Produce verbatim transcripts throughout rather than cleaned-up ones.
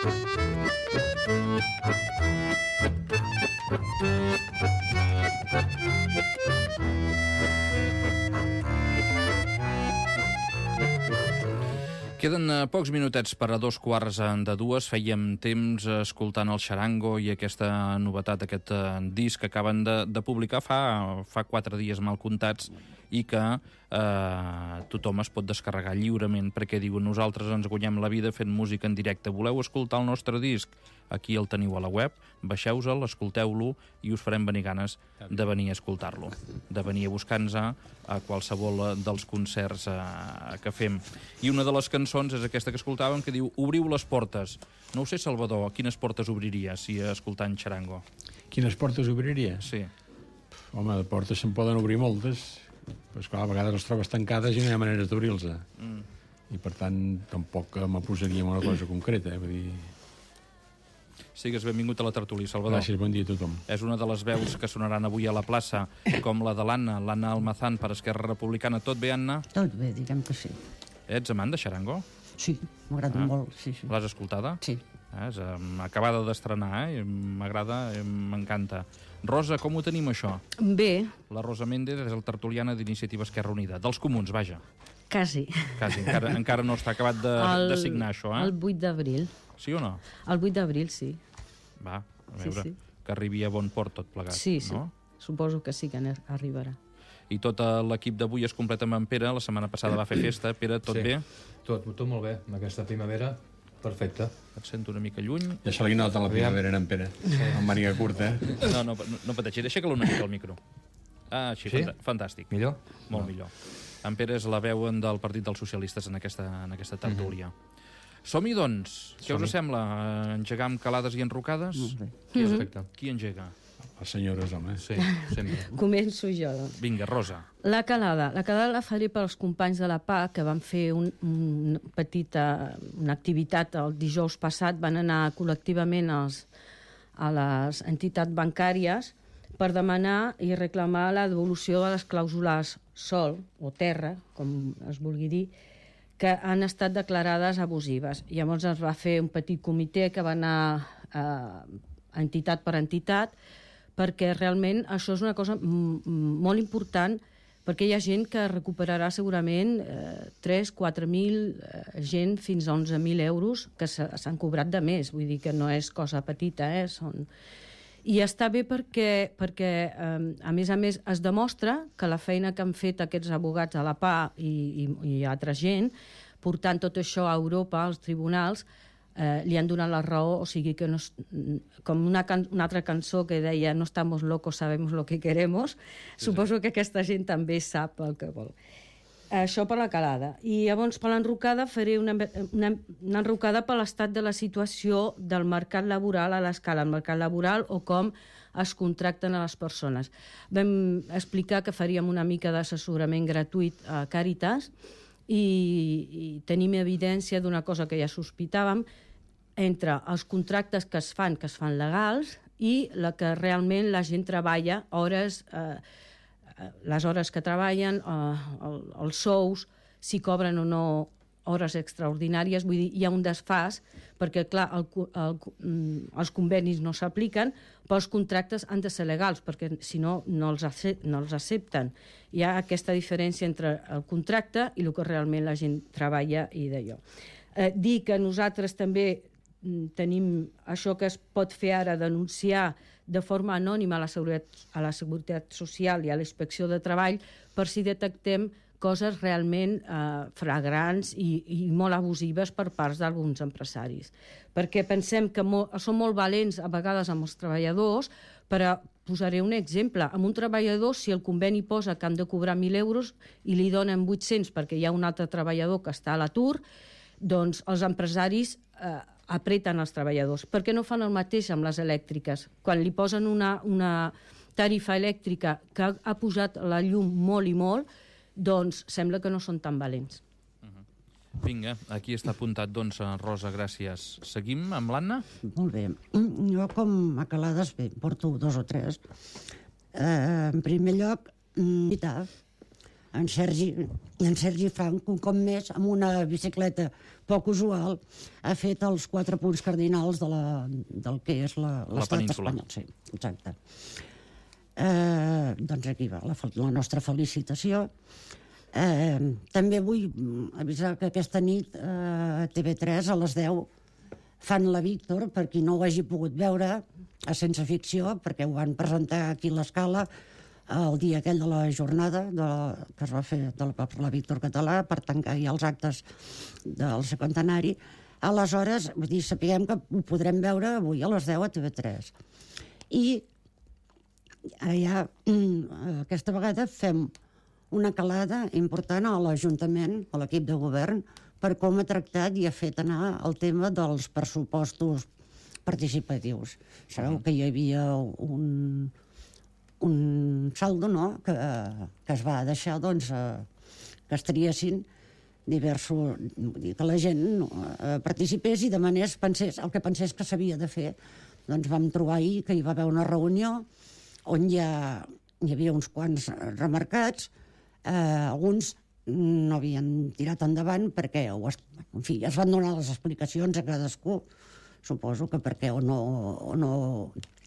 Queden pocs minutets per a dos quarts de dues. Fèiem temps escoltant el Charango i aquesta novetat, aquest disc que acaben de, de publicar fa, fa quatre dies mal comptats i que eh, tothom es pot descarregar lliurement perquè diuen nosaltres ens guanyem la vida fent música en directe. Voleu escoltar el nostre disc? Aquí el teniu a la web, baixeu-se'l, escolteu-lo i us farem venir ganes de venir a escoltar-lo, de venir a buscar-nos a qualsevol dels concerts eh, que fem. I una de les cançons és aquesta que escoltàvem que diu Obriu les portes. No ho sé, Salvador, quines portes obriria si escoltant Charango? Quines portes obriria? Sí. Home, de portes se'n poden obrir moltes, però esclar, a vegades les trobes tancades i no hi ha maneres d'obrir-les. Mm. I per tant, tampoc me posaria en una cosa concreta, eh? Vull dir... Sigues benvingut a la tertúlia, Salvador. Gràcies, bon dia a tothom. És una de les veus que sonaran avui a la plaça, com la de l'Anna, l'Anna Almazán, per Esquerra Republicana. Tot bé, Anna? Tot bé, diguem que sí. Ets amant de Charango? Sí, m'agrada ah. molt, sí, sí. L'has escoltada? Sí. Ah, és um, acabada d'estrenar, eh? M'agrada, m'encanta. Rosa, com ho tenim, això? Bé. La Rosa Méndez és el tertuliana d'Iniciativa Esquerra Unida. Dels comuns, vaja. Quasi. Quasi, encara, encara no està acabat de, el, de signar això, eh? El vuit d'abril. Sí o no? El vuit d'abril, sí. Va, a veure, sí, sí. que arribi a bon port tot plegat, sí, sí. no? Suposo que sí que arribarà. I tot l'equip d'avui es completa amb en Pere, la setmana passada va fer festa. Pere, tot sí. bé? Tot, tot molt bé, amb aquesta primavera, perfecte. Et sento una mica lluny. Ja se li nota la primavera en Pere, sí. Amb màniga curta. No, no, no, no pateixi, deixa-que-lo una mica al micro. Ah, així, sí? Fantàstic. Millor? Molt no. millor. En Pere és la veu del Partit dels Socialistes en aquesta, en aquesta tertúlia. Mm-hmm. Som-hi, doncs. Què us sembla? Engegar amb calades i enrocades? Molt bé. Qui, mm-hmm. Qui engega? Les senyores, home. Sí, sempre. Començo jo, doncs. Vinga, Rosa. La calada. La calada la faré pels companys de la P A que van fer un, un petita, una activitat el dijous passat. Van anar col·lectivament als, a les entitats bancàries per demanar i reclamar la devolució de les clàusules sol o terra, com es vulgui dir, que han estat declarades abusives. Llavors es va fer un petit comitè que va anar eh, entitat per entitat, perquè realment això és una cosa molt important, perquè hi ha gent que recuperarà segurament eh, tres quatre mil, eh, gent fins a onze mil euros que s'han cobrat de més. Vull dir que no és cosa petita, eh? Són... I està bé perquè, perquè eh, a més a més, es demostra que la feina que han fet aquests abogats a la P A i, i, i altra gent, portant tot això a Europa, als tribunals, eh, li han donat la raó, o sigui que no és, com una, can, una altra cançó que deia no estamos locos, sabemos lo que queremos, sí, suposo sí. que aquesta gent també sap el que vol. Això per la calada. I llavors per l'enrocada faré una, una, una enrocada per l'estat de la situació del mercat laboral a l'escala, el mercat laboral o com es contracten a les persones. Vam explicar que faríem una mica d'assessorament gratuït a Càritas i, i tenim evidència d'una cosa que ja sospitàvem entre els contractes que es fan, que es fan legals, i la que realment la gent treballa hores... Eh, les hores que treballen, eh, els sous, si cobren o no hores extraordinàries, vull dir, hi ha un desfàs, perquè, clar, el, el, els convenis no s'apliquen, però els contractes han de ser legals, perquè si no, no els, acep no els accepten. Hi ha aquesta diferència entre el contracte i el que realment la gent treballa i d'allò. Eh, dir que nosaltres també tenim això que es pot fer ara, denunciar de forma anònima a la Seguretat, a la Seguretat Social i a la Inspecció de Treball per si detectem coses realment eh, fragrants i, i molt abusives per parts d'alguns empresaris. Perquè pensem que molt, són molt valents a vegades amb els treballadors, però posaré un exemple. Amb un treballador, si el conveni posa que han de cobrar mil euros i li donen vuit-cents perquè hi ha un altre treballador que està a l'atur, doncs els empresaris eh, apreten els treballadors. Per què no fan el mateix amb les elèctriques? Quan li posen una, una tarifa elèctrica que ha, ha posat la llum molt i molt, doncs sembla que no són tan valents. Uh-huh. Vinga, aquí està apuntat, doncs, Rosa, gràcies. Seguim amb l'Anna? Molt bé. Jo, com a calades, bé, porto dos o tres. Eh, en primer lloc, veritat, en Sergi, en Sergi Frank, un cop més, amb una bicicleta poc usual, ha fet els quatre punts cardinals de la, del que és la, l'estat espanyol. Sí, exacte. Eh, doncs aquí va la, la nostra felicitació. Eh, també vull avisar que aquesta nit a T V tres a les deu fan la Víctor, per qui no ho hagi pogut veure, a Sense Ficció, perquè ho van presentar aquí a l'Escala el dia aquell de la jornada de la, que es va fer de la, per la Víctor Català per tancar ja els actes del cinquantenari. Aleshores, vull dir, sapiguem que ho podrem veure avui a les deu a T V tres. I allà, aquesta vegada fem una calada important a l'Ajuntament, a l'equip de govern, per com ha tractat i ha fet anar el tema dels pressupostos participatius. Sabeu que hi havia un, un saldo, no?, que, que es va deixar, doncs, eh, que es triessin diversos... que la gent eh, participés i demanés, pensés, el que pensés que s'havia de fer. Doncs vam trobar ahir que hi va haver una reunió on hi, ha, hi havia uns quants remarcats, eh, alguns no havien tirat endavant perquè ho es, en fi, es van donar les explicacions a cadascú, suposo que perquè o no, o no,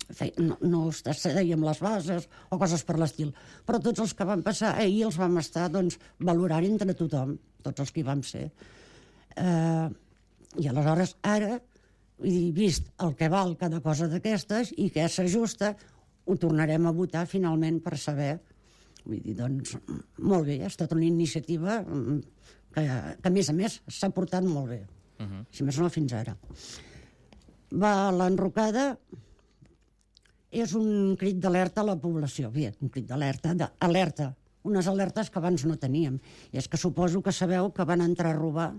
fe, no, no es deien les bases o coses per l'estil. Però tots els que van passar ahir els vam estar, doncs, valorant entre tothom, tots els que hi vam ser. Eh, I aleshores ara, he vist el que val cada cosa d'aquestes i què s'ajusta, ho tornarem a votar finalment per saber. Vull dir, doncs, molt bé, ha estat una iniciativa que, que a més a més, s'ha portat molt bé. Uh -huh. Si més no, fins ara. Va, l'enrocada és un crit d'alerta a la població. Bé, un crit d'alerta, d'alerta. Unes alertes que abans no teníem. I és que suposo que sabeu que van entrar a robar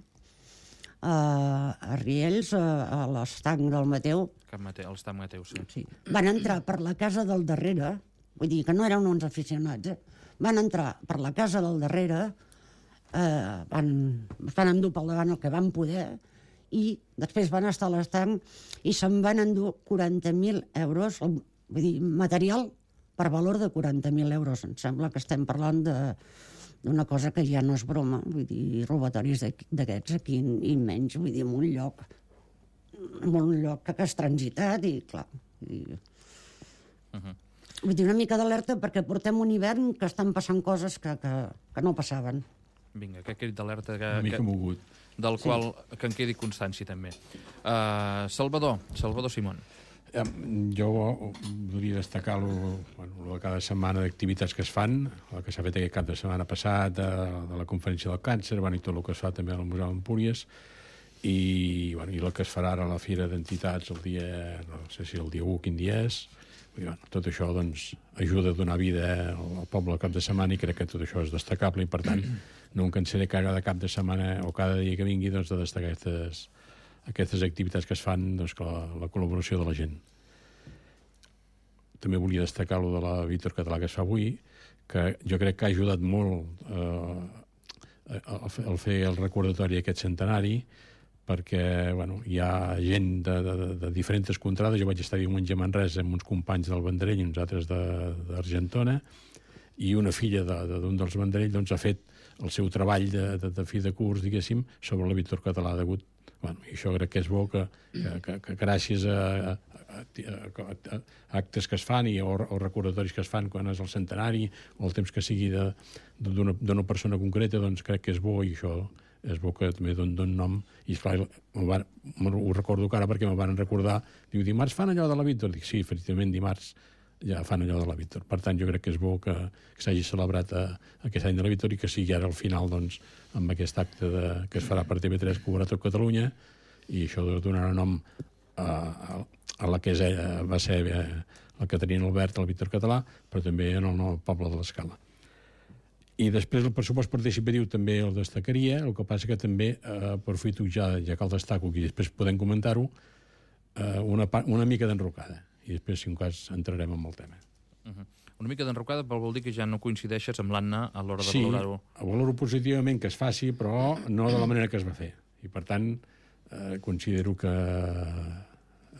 a, a Riells, a, a l'estanc del Mateu. Cap Mateu, l'estanc Mateu, sí. sí. Van entrar per la casa del darrere, vull dir que no eren uns aficionats, eh? Van entrar per la casa del darrere, eh, van, van endur pel davant el que van poder i després van estar a l'estanc i se'n van endur quaranta mil euros, vull dir, material per valor de quaranta mil euros. Em sembla que estem parlant de, d'una cosa que ja no és broma, vull dir, robatoris d'aquests aquí i menys, vull dir, en un lloc, en un lloc que has transitat i, clar, vull dir... Uh -huh. Vull dir, una mica d'alerta perquè portem un hivern que estan passant coses que, que, que no passaven. Vinga, aquest crit d'alerta que, una mica que, mogut. Del qual sí. que en quedi constància també. Uh, Salvador, Salvador Simón. Eh, jo volia destacar lo, bueno, cada setmana d'activitats que es fan, el que s'ha fet aquest cap de setmana passat, de, de la conferència del càncer, bueno, i tot el que es fa també al Museu d'Empúries, i, bueno, i el que es farà ara a la Fira d'Entitats el dia, no sé si el dia u, quin dia és. I, bueno, tot això doncs, ajuda a donar vida al poble al cap de setmana i crec que tot això és destacable i per tant no em cansaré cada cap de setmana o cada dia que vingui doncs, de destacar aquestes, aquestes activitats que es fan, doncs, que la, la col·laboració de la gent. També volia destacar lo de la Víctor Català que es fa avui, que jo crec que ha ajudat molt eh, a fer el recordatori d'aquest centenari, perquè bueno, hi ha gent de, de, de diferents contrades. Jo vaig estar diumenge a Manresa amb uns companys del Vendrell i uns altres d'Argentona, i una filla d'un de, dels Vendrell doncs, ha fet el seu treball de, de, de fi de curs, diguéssim, sobre la Víctor Català degut. Bueno, i això crec que és bo, que, que, que, que gràcies a, a, a, a, a actes que es fan i, o, o recordatoris que es fan quan és el centenari o el temps que sigui d'una persona concreta, doncs crec que és bo i això és bo que també don, don nom. I esclar, van, ho recordo ara perquè me van recordar, diu, dimarts fan allò de la Víctor? Dic, sí, efectivament, dimarts ja fan allò de la Víctor. Per tant, jo crec que és bo que, que s'hagi celebrat a, aquest any de la Víctor i que sigui ara al final, doncs, amb aquest acte de, que es farà per T V tres, que ho veurà tot Catalunya, i això donarà nom a, a, a la que és, va ser eh, la Caterina Albert, el Víctor Català, però també en el nou poble de l'Escala. I després el pressupost participatiu també el destacaria, el que passa que també eh, aprofito ja, ja que el destaco i després podem comentar-ho, eh, una, una mica d'enrocada. I després, si un cas, entrarem en el tema. Uh -huh. Una mica d'enrocada, però vol dir que ja no coincideixes amb l'Anna a l'hora de sí, valorar-ho. Sí, valoro positivament que es faci, però no de la manera que es va fer. I, per tant, eh, considero que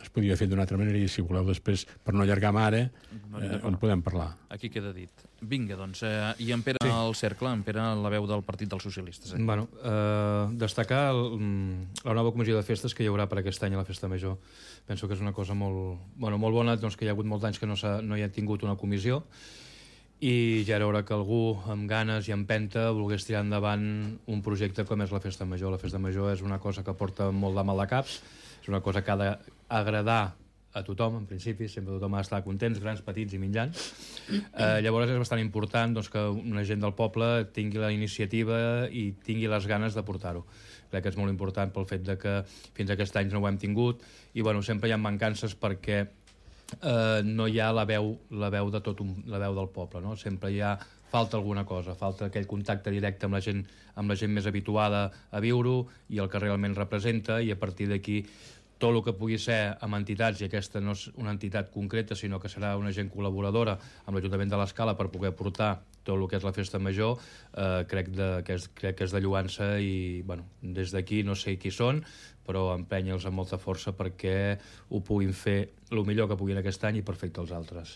es podia haver fet d'una altra manera i si voleu després, per no allargar-me ara, eh, en podem parlar. Aquí queda dit. Vinga, doncs, eh, i en Pere sí. al cercle, en Pere la veu del Partit dels Socialistes. Eh? Bueno, eh, destacar el, la nova comissió de festes que hi haurà per aquest any a la Festa Major. Penso que és una cosa molt, bueno, molt bona, doncs, que hi ha hagut molts anys que no, no hi ha tingut una comissió, i ja era hora que algú amb ganes i empenta volgués tirar endavant un projecte com és la Festa Major. La Festa Major és una cosa que porta molt de mal de caps, és una cosa que ha d'agradar a tothom, en principi, sempre tothom ha d'estar contents, grans, petits i mitjans. Eh, llavors és bastant important doncs, que una gent del poble tingui la iniciativa i tingui les ganes de portar-ho. Crec que és molt important pel fet de que fins a aquest any no ho hem tingut i bueno, sempre hi ha mancances perquè eh, no hi ha la veu, la veu de tot un, la veu del poble, no? Sempre hi ha falta alguna cosa, falta aquell contacte directe amb la gent, amb la gent més habituada a viure-ho i el que realment representa, i a partir d'aquí tot el que pugui ser amb entitats, i aquesta no és una entitat concreta, sinó que serà una gent col·laboradora amb l'Ajuntament de l'Escala per poder portar tot el que és la Festa Major, eh, crec, de, que és, crec que és de lloança i bueno, des d'aquí no sé qui són, però empenya'ls amb molta força perquè ho puguin fer el millor que puguin aquest any i per fer els altres.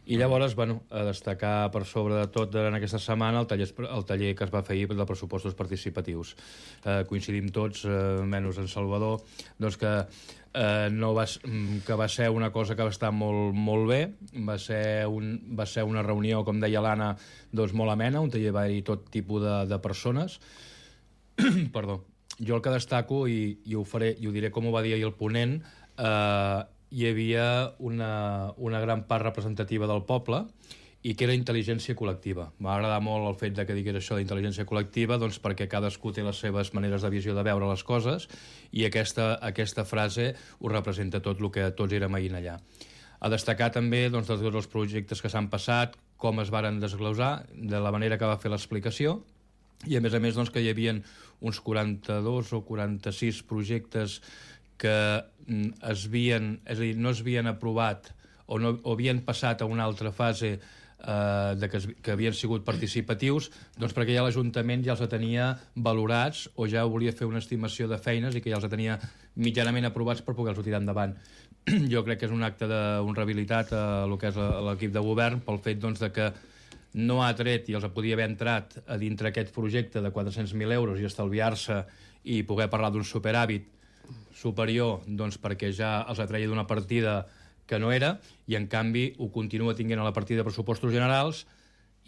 I llavors, bueno, a destacar per sobre de tot en aquesta setmana el taller, el taller que es va fer ahir de pressupostos participatius. Eh, coincidim tots, eh, menys en Salvador, doncs que, eh, no va, que va ser una cosa que va estar molt, molt bé, va ser, un, va ser una reunió, com deia l'Anna, doncs molt amena, un taller va haver tot tipus de, de persones. Perdó. Jo el que destaco, i, i ho faré, i ho diré com ho va dir ahir el ponent, eh, hi havia una, una gran part representativa del poble i que era intel·ligència col·lectiva. M'ha agradat molt el fet de que digués això d'intel·ligència col·lectiva doncs perquè cadascú té les seves maneres de visió de veure les coses i aquesta, aquesta frase ho representa tot el que tots érem ahir allà. A destacar també doncs, de tots els projectes que s'han passat, com es varen desglosar, de la manera que va fer l'explicació, i a més a més doncs, que hi havia uns quaranta-dos o quaranta-sis projectes que es havien, és a dir, no es havien aprovat o, no, o havien passat a una altra fase eh, de que, es, que havien sigut participatius, doncs perquè ja l'Ajuntament ja els tenia valorats o ja volia fer una estimació de feines i que ja els tenia mitjanament aprovats per poder-los tirar endavant. Jo crec que és un acte d'honrabilitat a el que és l'equip de govern pel fet doncs, de que no ha tret i els podia haver entrat a dintre aquest projecte de quatre-cents mil euros i estalviar-se i poder parlar d'un superàvit superior doncs, perquè ja els atreia d'una partida que no era i en canvi ho continua tinguent a la partida de pressupostos generals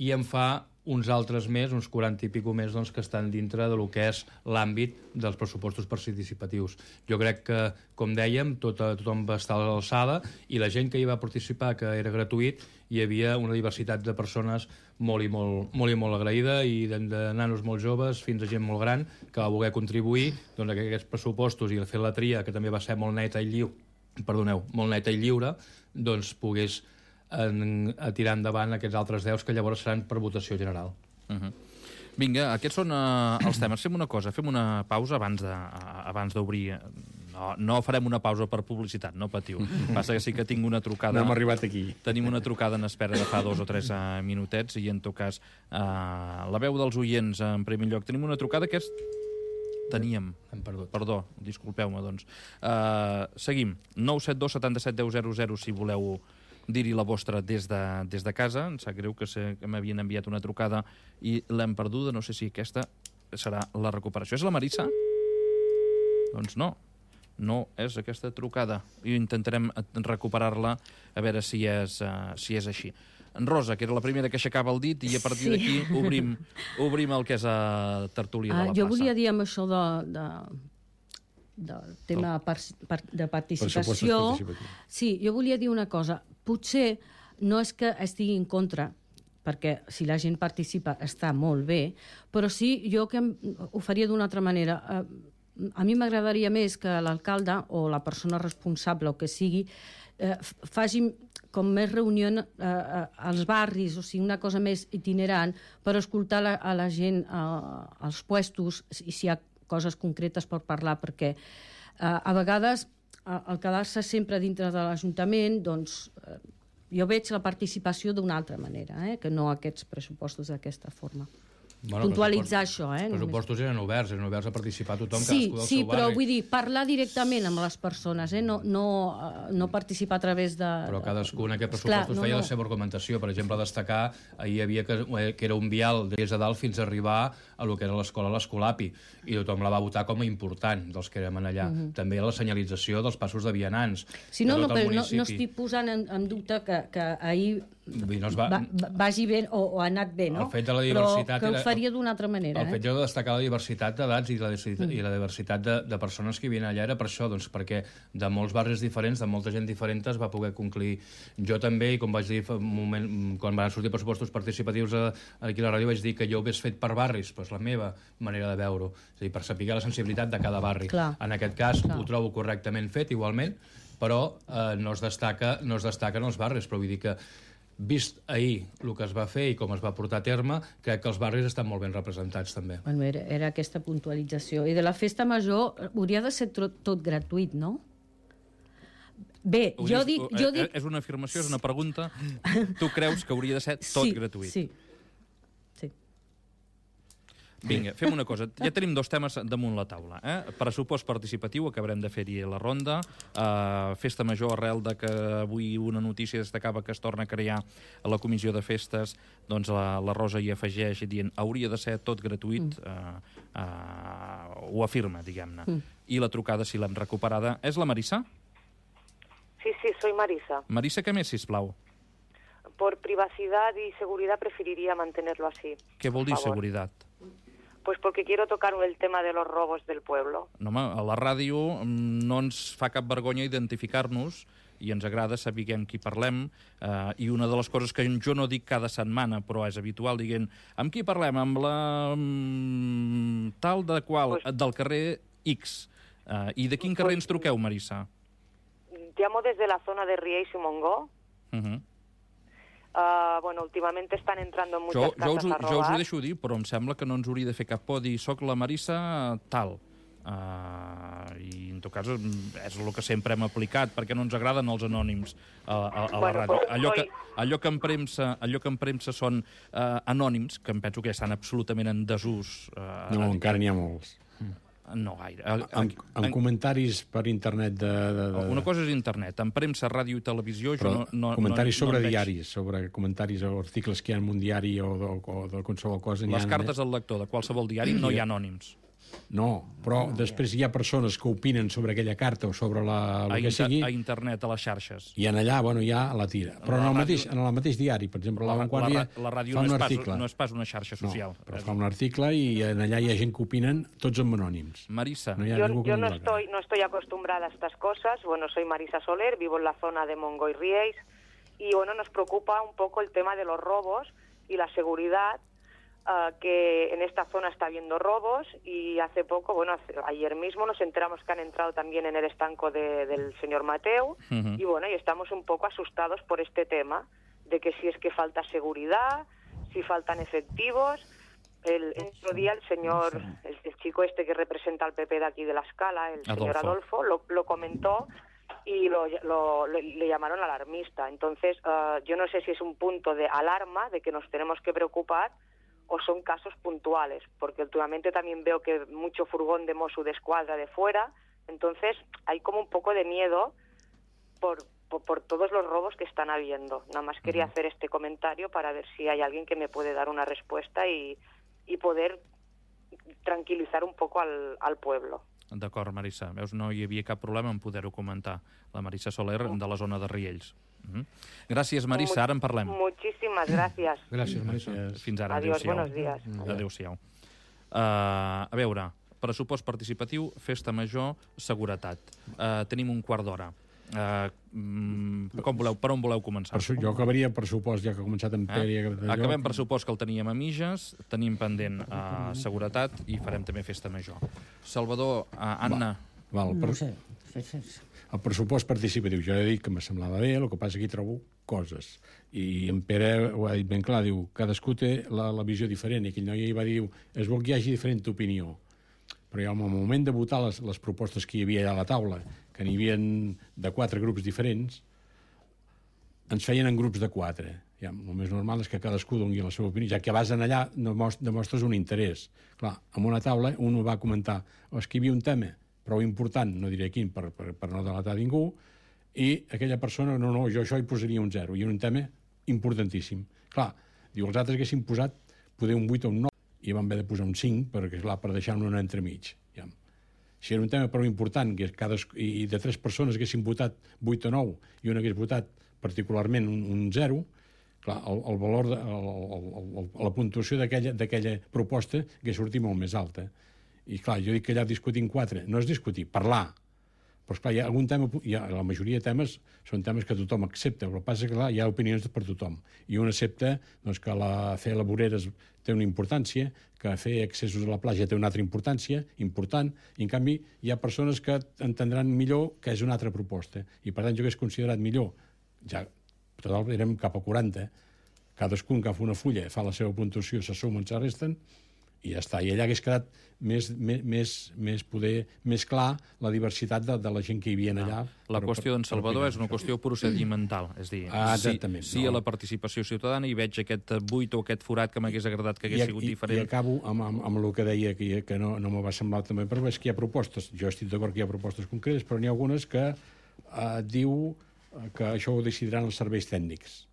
i en fa uns altres més, uns quaranta i pico més doncs, que estan dintre de lo que és l'àmbit dels pressupostos participatius. Jo crec que, com dèiem, tot, tothom va estar a l'alçada i la gent que hi va participar, que era gratuït, hi havia una diversitat de persones molt i molt, molt, i molt agraïda i de, de nanos molt joves fins a gent molt gran que va voler contribuir doncs, a aquests pressupostos i a fer la tria, que també va ser molt neta i lliure, perdoneu, molt neta i lliure, doncs pogués en, a tirar endavant aquests altres deus que llavors seran per votació general. Uh-huh. Vinga, aquests són uh, els temes. Fem una cosa, fem una pausa abans de, uh, abans d'obrir. No, no farem una pausa per publicitat, no patiu. Passa que sí que tinc una trucada... No hem arribat aquí. Tenim una trucada en espera de fa dos o tres uh, minutets i, en tot cas, uh, la veu dels oients en primer lloc. Tenim una trucada que és... Teníem. Hem perdut. Perdó, disculpeu-me, doncs. Uh, seguim. nou set dos setanta-set deu zero zero si voleu dir-hi la vostra des de, des de casa. Em sap greu que, se, que m'havien enviat una trucada i l'hem perduda. No sé si aquesta serà la recuperació. És la Marissa? Doncs no. No és aquesta trucada. I intentarem recuperar-la a veure si és, uh, si és així. En Rosa, que era la primera que aixecava el dit, i a partir sí. d'aquí obrim, obrim el que és a tertúlia de la uh, plaça. Jo volia dir amb això de, de, del tema oh. par, par, de participació... Sí, jo volia dir una cosa. Potser no és que estigui en contra, perquè si la gent participa està molt bé, però sí jo que ho faria d'una altra manera. Uh, a mi m'agradaria més que l'alcalde o la persona responsable o que sigui eh, faci com més reunió eh, als barris, o sigui, una cosa més itinerant per escoltar la, a la gent eh, als puestos i si hi ha coses concretes per parlar, perquè eh, a vegades al quedar-se sempre dintre de l'Ajuntament, doncs eh, jo veig la participació d'una altra manera, eh, que no aquests pressupostos d'aquesta forma. Bueno, puntualitzar això. Eh, els pressupostos eren oberts, eren oberts a participar tothom, sí, cadascú del sí, seu barri. però vull dir, parlar directament amb les persones, eh? no, no, no participar a través de... Però cadascú en aquest pressupostos no, feia no. la seva argumentació. Per exemple, destacar, ahir hi havia que, que era un vial des de dalt fins a arribar a lo que era l'escola l'Escolapi, i tothom la va votar com a important, dels que érem allà. Mm-hmm. També la senyalització dels passos de vianants. Sí, no, no, però no, no estic posant en, en dubte que, que ahir no va, va, vagi bé o, o ha anat bé, no? El fet de la diversitat... Però que ho faria d'una altra manera. El fet de destacar la diversitat d'edats i, la, mm. i la diversitat de, de persones que hi havia allà era per això, doncs, perquè de molts barris diferents, de molta gent diferent es va poder concluir. Jo també, i com vaig dir un moment, quan van sortir pressupostos participatius a, aquí a la ràdio, vaig dir que jo ho hagués fet per barris, però és la meva manera de veure-ho, és a dir, per saber la sensibilitat de cada barri. Clar. En aquest cas Clar. ho trobo correctament fet, igualment, però eh, no, es destaca, no es destaquen els barris, però vull dir que vist ahir el que es va fer i com es va portar a terme, crec que els barris estan molt ben representats, també. Bueno, era, era aquesta puntualització. I de la festa major hauria de ser tot, tot gratuït, no? Bé, Hauries, jo dic, jo dic... És una afirmació, és una pregunta. Tu creus que hauria de ser tot sí, gratuït? Sí, sí. Vinga, fem una cosa. Ja tenim dos temes damunt la taula. Eh? Pressupost participatiu, acabarem de fer-hi la ronda. Uh, festa major, arrel de que avui una notícia destacava que es torna a crear a la comissió de festes, doncs la, la Rosa hi afegeix dient hauria de ser tot gratuït, uh, uh, ho afirma, diguem-ne. Mm. I la trucada, si l'hem recuperada, és la Marisa? Sí, sí, soy Marisa. Marisa, què més, sisplau? Por privacidad y seguridad preferiría mantenerlo así. Què vol dir seguretat? Pues porque quiero tocar el tema de los robos del pueblo. No, home, a la ràdio no ens fa cap vergonya identificar-nos i ens agrada saber amb qui parlem, eh, i una de les coses que jo no dic cada setmana, però és habitual, dient, amb qui parlem? Amb la mm, tal de qual, pues... del carrer X. Eh, I de quin carrer pues... ens truqueu, Marisa? Llamo desde la zona de Riells y Montgó. Uh -huh. Uh, bueno, últimamente están entrando en muchas jo, casas jo us, a robar. Jo us ho deixo dir, però em sembla que no ens hauria de fer cap por dir soc la Marisa tal. Uh, I en tot cas és el que sempre hem aplicat, perquè no ens agraden els anònims a, a, a la bueno, ràdio. Pues, allò, que, soy... allò, que en premsa, allò que en premsa són uh, anònims, que em penso que estan absolutament en desús. Uh, no, encara n'hi ha molts. No gaire. En, en, en comentaris per internet de, de, de... Una cosa és internet. En premsa, ràdio i televisió... Però jo no, no, comentaris no, sobre no diaris, sobre comentaris o articles que hi ha en un diari o de, o de qualsevol cosa... Les ha... cartes al lector de qualsevol diari no hi ha anònims. No, però no, després hi ha persones que opinen sobre aquella carta o sobre la, el a que inter sigui... A internet, a les xarxes. I en allà, bueno, ja la tira. Però en el, mateix, en el mateix diari, per exemple, la, la Vanguardia la, la ràdio fa no un és, article. pas, no és pas una xarxa social. No, però fa un article i en allà hi ha gent que opinen, tots amb anònims. Marisa. No yo yo no, estoy, no estoy acostumbrada a estas cosas. Bueno, soy Marisa Soler, vivo en la zona de Montgó y Riells. Y bueno, nos preocupa un poco el tema de los robos y la seguridad. Uh, que en esta zona está habiendo robos y hace poco, bueno, hace, ayer mismo nos enteramos que han entrado también en el estanco de, del señor Mateu. Uh-huh. Y bueno, y estamos un poco asustados por este tema, de que si es que falta seguridad, si faltan efectivos. El, el otro día el señor, el, el chico este que representa al P P de aquí de la Escala, el Adolfo. señor Adolfo, lo, lo comentó y lo, lo, lo, le llamaron alarmista. Entonces, uh, yo no sé si es un punto de alarma, de que nos tenemos que preocupar, o son casos puntuales, porque últimamente también veo que mucho furgón de Mossos d'Esquadra de fuera, entonces hay como un poco de miedo por, por, por todos los robos que están habiendo. Nada más quería hacer este comentario para ver si hay alguien que me puede dar una respuesta y, y poder tranquilizar un poco al, al pueblo. D'acord, Marisa. Veus, no hi havia cap problema en poder-ho comentar. La Marisa Soler, de la zona de Riells. Uh-huh. Gràcies, Marisa. Ara en parlem. Muchísimas gracias. Gràcies, Marisa. Fins ara. Adiós, buenos días. Adéu-siau. Uh, a veure, pressupost participatiu, festa major, seguretat. Uh, tenim un quart d'hora. Uh, com voleu, per on voleu començar? Per, jo acabaria pressupost, ja que ha començat en Pere. Eh? Acabem pressupost, que el teníem a mitges, tenim pendent uh, seguretat i farem també festa major. Salvador, uh, Anna... Va, val, per... No sé. El pressupost participatiu, jo he dit que me semblava bé, el que passa que hi trobo coses. I en Pere ho ha dit ben clar, diu, cadascú té la, la visió diferent, i aquell noi va dir, es vol que hi hagi diferent opinió. Però ja, al moment de votar les, les propostes que hi havia allà a la taula, que n'hi havia de quatre grups diferents, ens feien en grups de quatre. Ja, el més normal és que cadascú doni la seva opinió, ja que vas allà demostres un interès. Clar, en una taula un va comentar, oh, és que hi havia un tema prou important, no diré quin per, per, per no delatar ningú, i aquella persona, no, no, jo això hi posaria un zero, i era un tema importantíssim. Clar, diu, els altres haguessin posat poder un vuit o un nou, i vam haver de posar un cinc, perquè, clar, per deixar-ne un entremig. Ja. Si era un tema prou important, que cada, i de tres persones haguessin votat vuit o nou, i un hagués votat particularment un, un zero, clar, el, el valor, de, el, el, el, la puntuació d'aquella proposta hagués sortit molt més alta. I clar, jo dic que allà discutim quatre, no és discutir, parlar. Però esclar, hi ha algun tema, hi ha, la majoria de temes són temes que tothom accepta, però el que passa és que clar, hi ha opinions per tothom. I un accepta doncs, que la, fer la voreres té una importància, que fer accessos a la platja té una altra importància, important, i en canvi hi ha persones que entendran millor que és una altra proposta. I per tant jo hauria considerat millor, ja total érem cap a quaranta, cadascun que fa una fulla fa la seva puntuació, se sumen, se resten, i ja està. I allà hagués quedat més, més, més, poder, més clar la diversitat de, de la gent que hi havia allà. No. La qüestió d'en Salvador és una qüestió procedimental, és dir, ah, sí, sí no. a la participació ciutadana i veig aquest buit o aquest forat que m'hagués agradat que hagués I, sigut i, diferent. I acabo amb, amb, amb el que deia, que, que no, no m'ho va semblar també, però és que hi ha propostes, jo estic d'acord que hi ha propostes concretes, però n'hi ha algunes que eh, diu que això ho decidiran els serveis tècnics.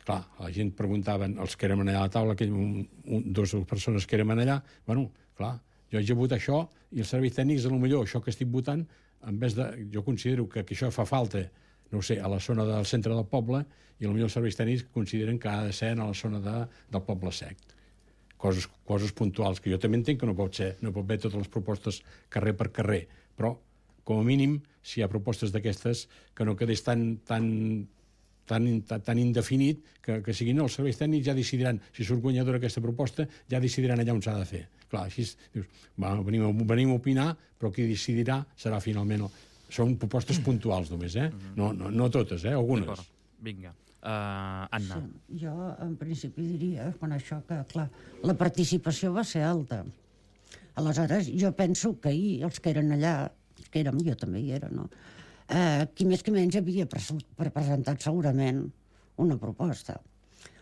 Clar, la gent preguntaven, els que érem allà a la taula, aquell, un, un, dos persones que érem allà, bueno, clar, jo haig de votar això i els serveis tècnics, a lo millor, això que estic votant, en vez de, jo considero que, que això fa falta, no ho sé, a la zona del centre del poble, i a lo millor els serveis tècnics consideren que ha de ser a la zona de, del poble sec. Coses, coses puntuals, que jo també entenc que no pot ser, no pot haver totes les propostes carrer per carrer, però, com a mínim, si hi ha propostes d'aquestes, que no quedés tan, tan, tan, tan, tan indefinit que, que siguin, no, els serveis tècnics ja decidiran, si surt guanyadora aquesta proposta, ja decidiran allà on s'ha de fer. Clar, així dius, va, venim, venim a opinar, però qui decidirà serà finalment... El... Són propostes puntuals només, eh? No, no, no totes, eh? Algunes. Vinga. Uh, Anna. Sí, jo, en principi, diria, quan això, que, clar, la participació va ser alta. Aleshores, jo penso que ahir, els que eren allà, que érem, jo també hi era, no? Eh, qui més que menys havia presentat segurament una proposta.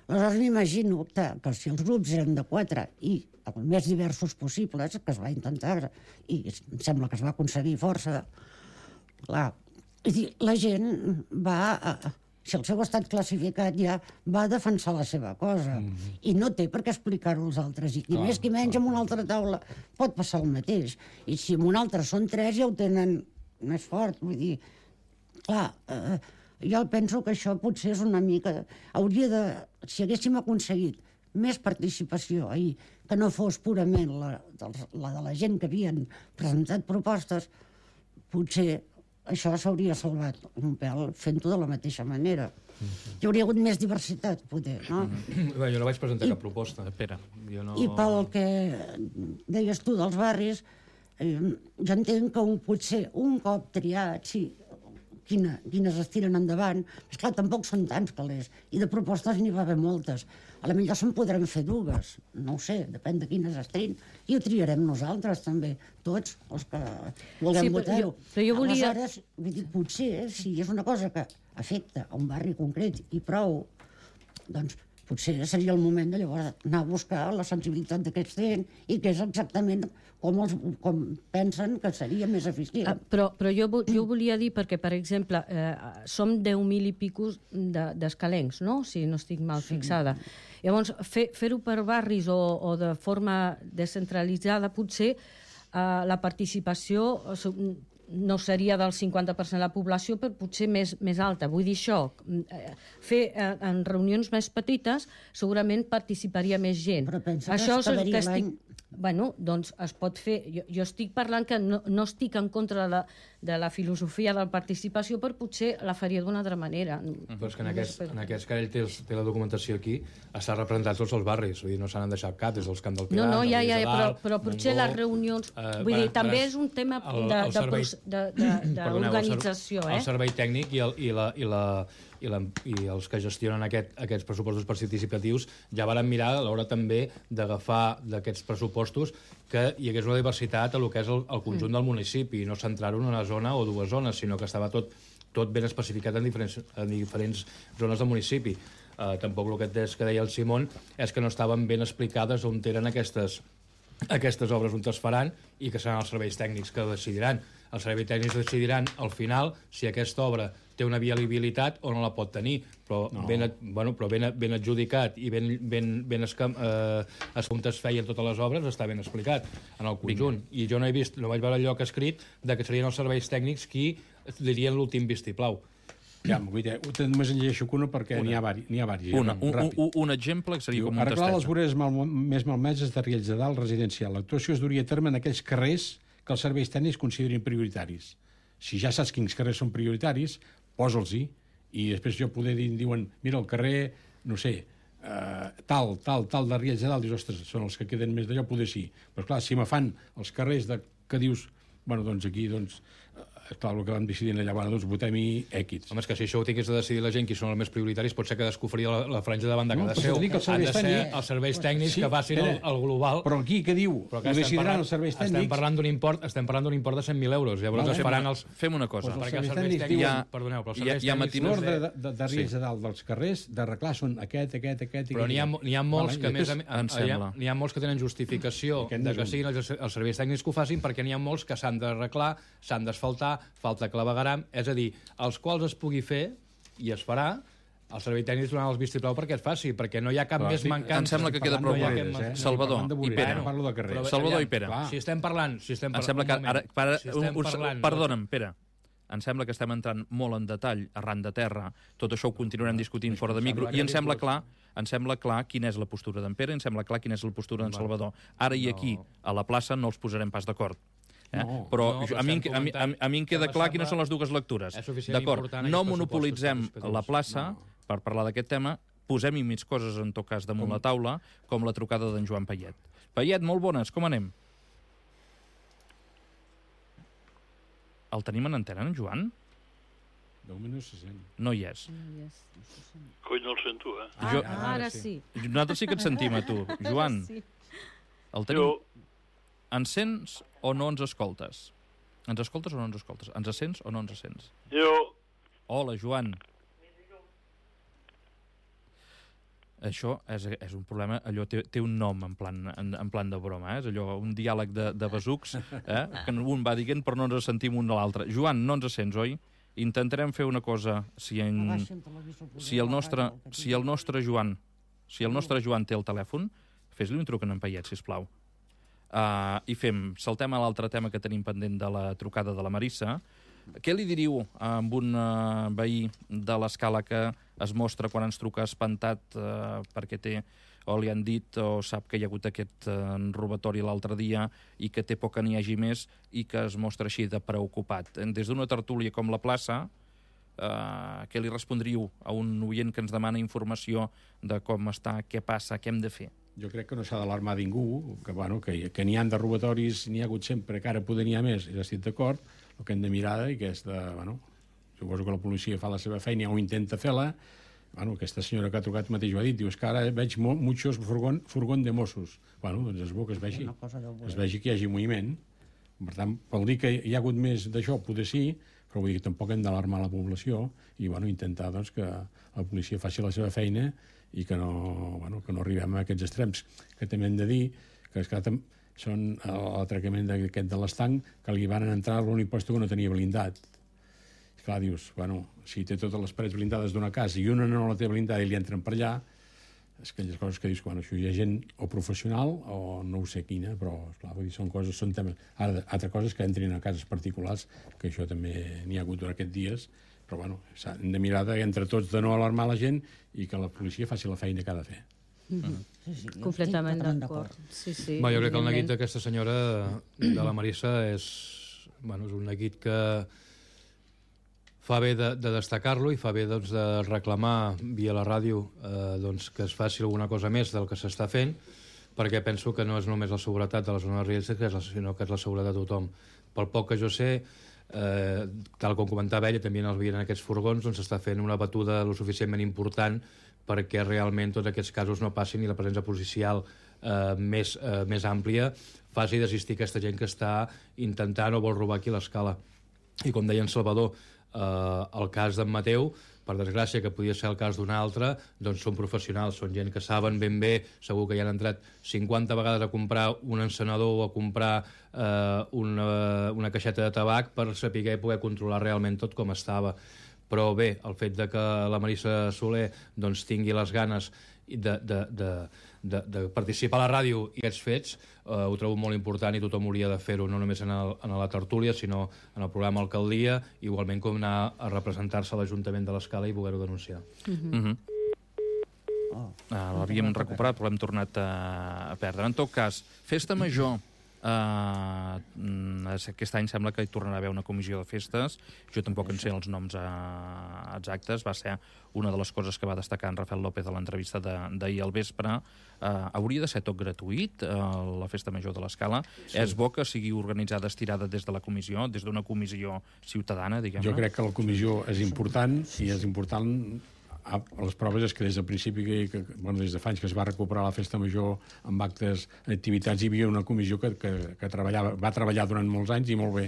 Aleshores m'imagino que, que si els grups eren de quatre i els més diversos possibles, que es va intentar, i em sembla que es va aconseguir força, clar, la gent va... Si el seu estat classificat ja va defensar la seva cosa mm-hmm. i no té per què explicar-ho als altres. I qui clar, més qui menys clar. En una altra taula pot passar el mateix. I si en una altra són tres ja ho tenen més fort. Vull dir, clar, eh, jo penso que això potser és una mica... Hauria de... Si haguéssim aconseguit més participació ahir, que no fos purament la, la de la gent que havien presentat propostes, potser... això s'hauria salvat un pèl fent-ho de la mateixa manera. Mm-hmm. Hi hauria hagut més diversitat, poder, no? Mm-hmm. Bé, jo no vaig presentar I, cap proposta. Espera, jo no... I pel que deies tu dels barris, eh, jo entenc que un, potser un cop triat, sí, quina, quines es tiren endavant, però clar, tampoc són tants calés, i de propostes n'hi va haver moltes. A la millor se'n podrem fer dues, no ho sé, depèn de quines es triïn, i ho triarem nosaltres també, tots els que vulguem sí, votar-ho. Però jo volia... Aleshores, vull dir, potser, si és una cosa que afecta a un barri concret i prou, doncs potser seria el moment de llavors anar a buscar la sensibilitat d'aquests gent i què és exactament com, els, com pensen que seria més eficient. Ah, però però jo, jo volia dir, perquè, per exemple, eh, som deu mil i picos d'escalencs, no? Si no estic mal sí. fixada. Llavors, fer, fer-ho per barris o, o de forma descentralitzada, potser eh, la participació no seria del cinquanta per cent de la població, però potser més, més alta. Vull dir això, fer en reunions més petites segurament participaria més gent. Però pensa això que es quedaria estic... l'any... Bueno, doncs es pot fer... Jo, jo estic parlant que no, no estic en contra de la, de la filosofia de la participació, però potser la faria d'una altra manera. Però és que en aquest, en aquest cas ell té, té la documentació aquí, està representat tots els barris, vull dir, no s'han deixat cap, des dels Camp del Pilar... No, no, ja, ja, ja però, però potser Montgó, les reunions... Uh, vull dir, també és un tema d'organització, eh? El servei tècnic i, el, i, la, i, la, i, la, i els que gestionen aquest, aquests pressupostos participatius ja varen mirar a l'hora també d'agafar d'aquests pressupostos pressupostos que hi hagués una diversitat a el que és el, el conjunt del municipi, i no centrar-ho en una zona o dues zones, sinó que estava tot, tot ben especificat en diferents, en diferents zones del municipi. Uh, tampoc el que, que deia el Simón és que no estaven ben explicades on eren aquestes, aquestes obres on es faran i que seran els serveis tècnics que decidiran. Els serveis tècnics decidiran al final si aquesta obra té una viabilitat o no la pot tenir, però, no. ben, bueno, però ben, ben adjudicat i ben, ben, ben escam, eh, com es feien totes les obres està ben explicat en el conjunt. Vinga. I jo no he vist, no vaig veure el lloc escrit de que serien els serveis tècnics qui dirien l'últim vistiplau. Ja, només en llegeixo una perquè n'hi ha diversos. Una, un, un, un exemple que seria com un tastet. Arreglar les voreres mal, més malmeses de Riells de Dalt residencial. L'actuació es duria a terme en aquells carrers que els serveis tècnics considerin prioritaris. Si ja saps quins carrers són prioritaris, posa'ls-hi, i després jo poder dir, diuen, mira, el carrer, no sé, uh, tal, tal, tal de Riells de Dalt, dius, ostres, són els que queden més d'allò, poder sí. Però clar, si me fan els carrers de, que dius, bueno, doncs aquí, doncs, clar, el que vam decidir allà, bueno, doncs votem-hi èquits. Home, és que si això ho tingués de decidir la gent qui són els més prioritaris, pot ser que descobria la, la franja davant de cada no, seu. Han de ser els serveis tècnics sí, que facin el, el global. Però aquí, què diu? Però que estem parlant, els serveis tècnics... Estem parlant d'un import, estem parlant d'un import de cent mil euros. Llavors es faran els... Fem una cosa. Pues perquè els serveis tècnics... Ja, perdoneu, però els serveis tècnics... L'ordre de, de, de Riells de Dalt dels carrers d'arreglar són aquest, aquest, aquest... Però n'hi ha, ha molts que més... N'hi ha molts que tenen justificació de que siguin els serveis tècnics que ho facin, perquè n'hi ha molts que s'han d'arreglar, s'han d'asfaltar, falta clavegaram, és a dir, els quals es pugui fer i es farà, el servei tècnic donarà els vistiplau perquè es faci, perquè no hi ha cap però, més sí, mancança. Em sembla que queda prou clar. Eh? Salvador i Pere. Parlo de carrer. Salvador i Pere. Si estem parlant... Si estem em sembla que ara, para, si un, parlant, perdona'm, Pere. Em sembla que estem entrant molt en detall, arran de terra. Tot això ho continuarem discutint fora de micro. I em sembla clar em sembla clar quina és la postura d'en Pere, em sembla clar quina és la postura d'en Salvador. Ara i aquí, a la plaça, no els posarem pas d'acord. Eh? No, però, no, però a, mi, a, mi, a mi em queda clar quines són les dues lectures. D'acord, no monopolitzem la plaça no. per parlar d'aquest tema, posem-hi més coses, en tot cas, damunt com? la taula, com la trucada d'en Joan Payet. Payet, molt bones, com anem? El tenim en antena, en Joan? De moment no se sent. No hi és. No hi és. Coi, no el sento, eh? Ah, jo... Ara, ara sí. Nosaltres sí que et sentim, a tu. Joan, sí. el tenim... Jo... Ens sents o no ens escoltes? Ens escoltes o no ens escoltes? Ens sents o no ens sents? Jo. Hola, Joan. Això és, és un problema, allò té, té un nom en plan, en, en plan de broma, eh? És allò, un diàleg de, de besucs, eh? que un va dient però no ens sentim un de l'altre. Joan, no ens sents, oi? Intentarem fer una cosa, si, en, si, el, nostre, si el nostre Joan si el nostre Joan té el telèfon, fes-li un truc en Payet, sisplau. Uh, i fem, saltem a l'altre tema que tenim pendent de la trucada de la Marissa. Què li diríeu amb un uh, veí de l'escala que es mostra quan ens truca espantat uh, perquè té, o li han dit o sap que hi ha hagut aquest uh, robatori l'altre dia i que té por que n'hi hagi més i que es mostra així de preocupat? Des d'una tertúlia com la plaça, uh, què li respondríeu a un oient que ens demana informació de com està, què passa, què hem de fer? Jo crec que no s'ha d'alarmar ningú, que, bueno, que, que n'hi ha de robatoris, n'hi ha hagut sempre, que ara poder n'hi ha més, i estic d'acord, el que hem de mirar i que és de, bueno, suposo que la policia fa la seva feina o intenta fer-la, bueno, aquesta senyora que ha trucat mateix ho ha dit, diu, és que ara veig mo muchos furgón, furgón de Mossos. Bueno, doncs és bo que es vegi, es vegi que hi hagi moviment. Per tant, pel dir que hi ha hagut més d'això, poder sí, però vull dir que tampoc hem d'alarmar la població i, bueno, intentar, doncs, que la policia faci la seva feina i que no, bueno, que no arribem a aquests extrems. Que també hem de dir que, esclar, són l'atracament d'aquest de l'estanc, que li van entrar l'únic lloc que no tenia blindat. Esclar, dius, bueno, si té totes les parets blindades d'una casa i una no la té blindada i li entren per allà, és aquelles coses que dius, bueno, això hi ha gent o professional o no ho sé quina, però, esclar, vull dir, són coses, són temes... Ara, altra cosa és que entrin a cases particulars, que això també n'hi ha hagut durant aquests dies, però, bueno, hem de mirar de, entre tots de no alarmar la gent i que la policia faci la feina que ha de fer. Mm-hmm. sí, sí, completament d'acord. Sí, sí, jo crec que el neguit d'aquesta senyora, de la Marissa, és, bueno, és un neguit que fa bé de, de destacar-lo i fa bé, doncs, de reclamar via la ràdio eh, doncs, que es faci alguna cosa més del que s'està fent, perquè penso que no és només la seguretat de la zona de Riells, sinó que és la seguretat de tothom. Pel poc que jo sé, Eh, tal com comentava ella, també en aquests furgons doncs s'està fent una batuda lo suficientment important perquè realment tots aquests casos no passin i la presència policial eh, més, eh, més àmplia faci desistir aquesta gent que està intentant o vol robar aquí l'escala. I com deia en Salvador, eh, el cas d'en Mateu, per desgràcia, que podia ser el cas d'un altre, doncs són professionals, són gent que saben ben bé, segur que hi han entrat cinquanta vegades a comprar un encenedor o a comprar eh, una, una caixeta de tabac per saber i poder controlar realment tot com estava. Però bé, el fet de que la Marisa Soler doncs, tingui les ganes de, de, de, de, de participar a la ràdio i aquests fets, eh, ho trobo molt important i tothom hauria de fer-ho, no només en, el, en la tertúlia, sinó en el programa Alcaldia, igualment com anar a representar-se a l'Ajuntament de l'Escala i poder-ho denunciar. Mm-hmm. Mm-hmm. Oh, uh, l'havíem recuperat, però l'hem tornat a, a perdre. En tot cas, Festa Major. Uh, aquest any sembla que hi tornarà a haver una comissió de festes. Jo tampoc en sé els noms uh, exactes. Va ser una de les coses que va destacar en Rafael López a l'entrevista d'ahir al vespre. Uh, hauria de ser tot gratuït, uh, la Festa Major de l'Escala. Sí. És bo que sigui organitzada, estirada des de la comissió, des d'una comissió ciutadana, diguem-ne. Jo crec que la comissió és important i és important... A les proves és que des del principi, que, que, bueno, des de fa anys que es va recuperar la Festa Major amb actes, activitats, hi havia una comissió que, que, que treballava, va treballar durant molts anys i molt bé.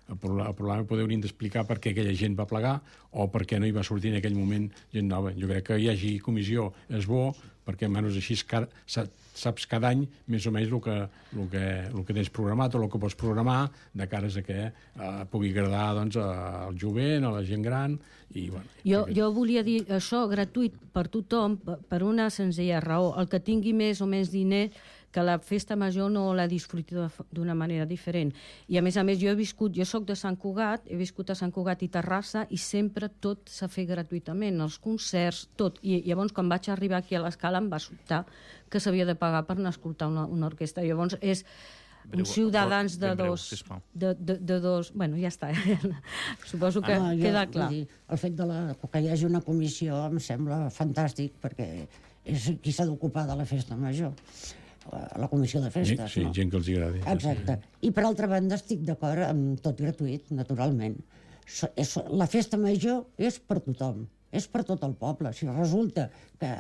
El problema, el problema poder haurien d'explicar per què aquella gent va plegar o per què no hi va sortir en aquell moment gent nova. Jo crec que hi hagi comissió és bo, perquè almenys així saps cada any més o menys el que, el que, el que tens programat o el que pots programar de cares a que eh, pugui agradar doncs, al jovent, a la gent gran. I, bueno, jo, jo volia dir això, gratuït per tothom, per una senzilla raó. El que tingui més o menys diners, que la Festa Major no la disfruti d'una manera diferent. I a més a més jo he viscut, jo soc de Sant Cugat, he viscut a Sant Cugat i Terrassa i sempre tot s'ha fet gratuïtament, els concerts, tot. I llavors quan vaig arribar aquí a l'Escala em va sobtar que s'havia de pagar per anar a escoltar una, una orquestra. Llavors és uns ciutadans de dos... De, de, de dos... Bueno, ja està. Suposo que ah, no, queda jo, clar. Dir, el fet de la, que hi hagi una comissió em sembla fantàstic perquè és qui s'ha d'ocupar de la Festa Major. La comissió de festes, sí, no? Gent que els agradi. Exacte. I per altra banda estic d'acord amb tot gratuït, naturalment. La Festa Major és per tothom, és per tot el poble. Si resulta que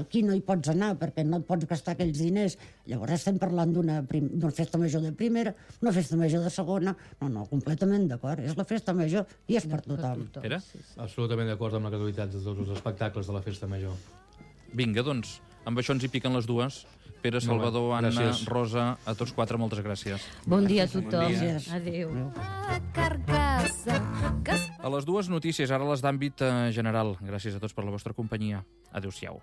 aquí no hi pots anar perquè no et pots gastar aquells diners, llavors estem parlant d'una Festa Major de primera, una Festa Major de segona. No, no, completament d'acord. És la Festa Major i és per tothom. Pere? Absolutament d'acord amb la gratuïtat de tots els espectacles de la Festa Major. Vinga, doncs, amb això ens hi piquen les dues. Pere, Salvador, Anna, gràcies. Rosa, a tots quatre, moltes gràcies. Bon dia a tothom. Bon dia. Adéu. A les dues notícies, ara les d'àmbit general. Gràcies a tots per la vostra companyia. Adéu-siau.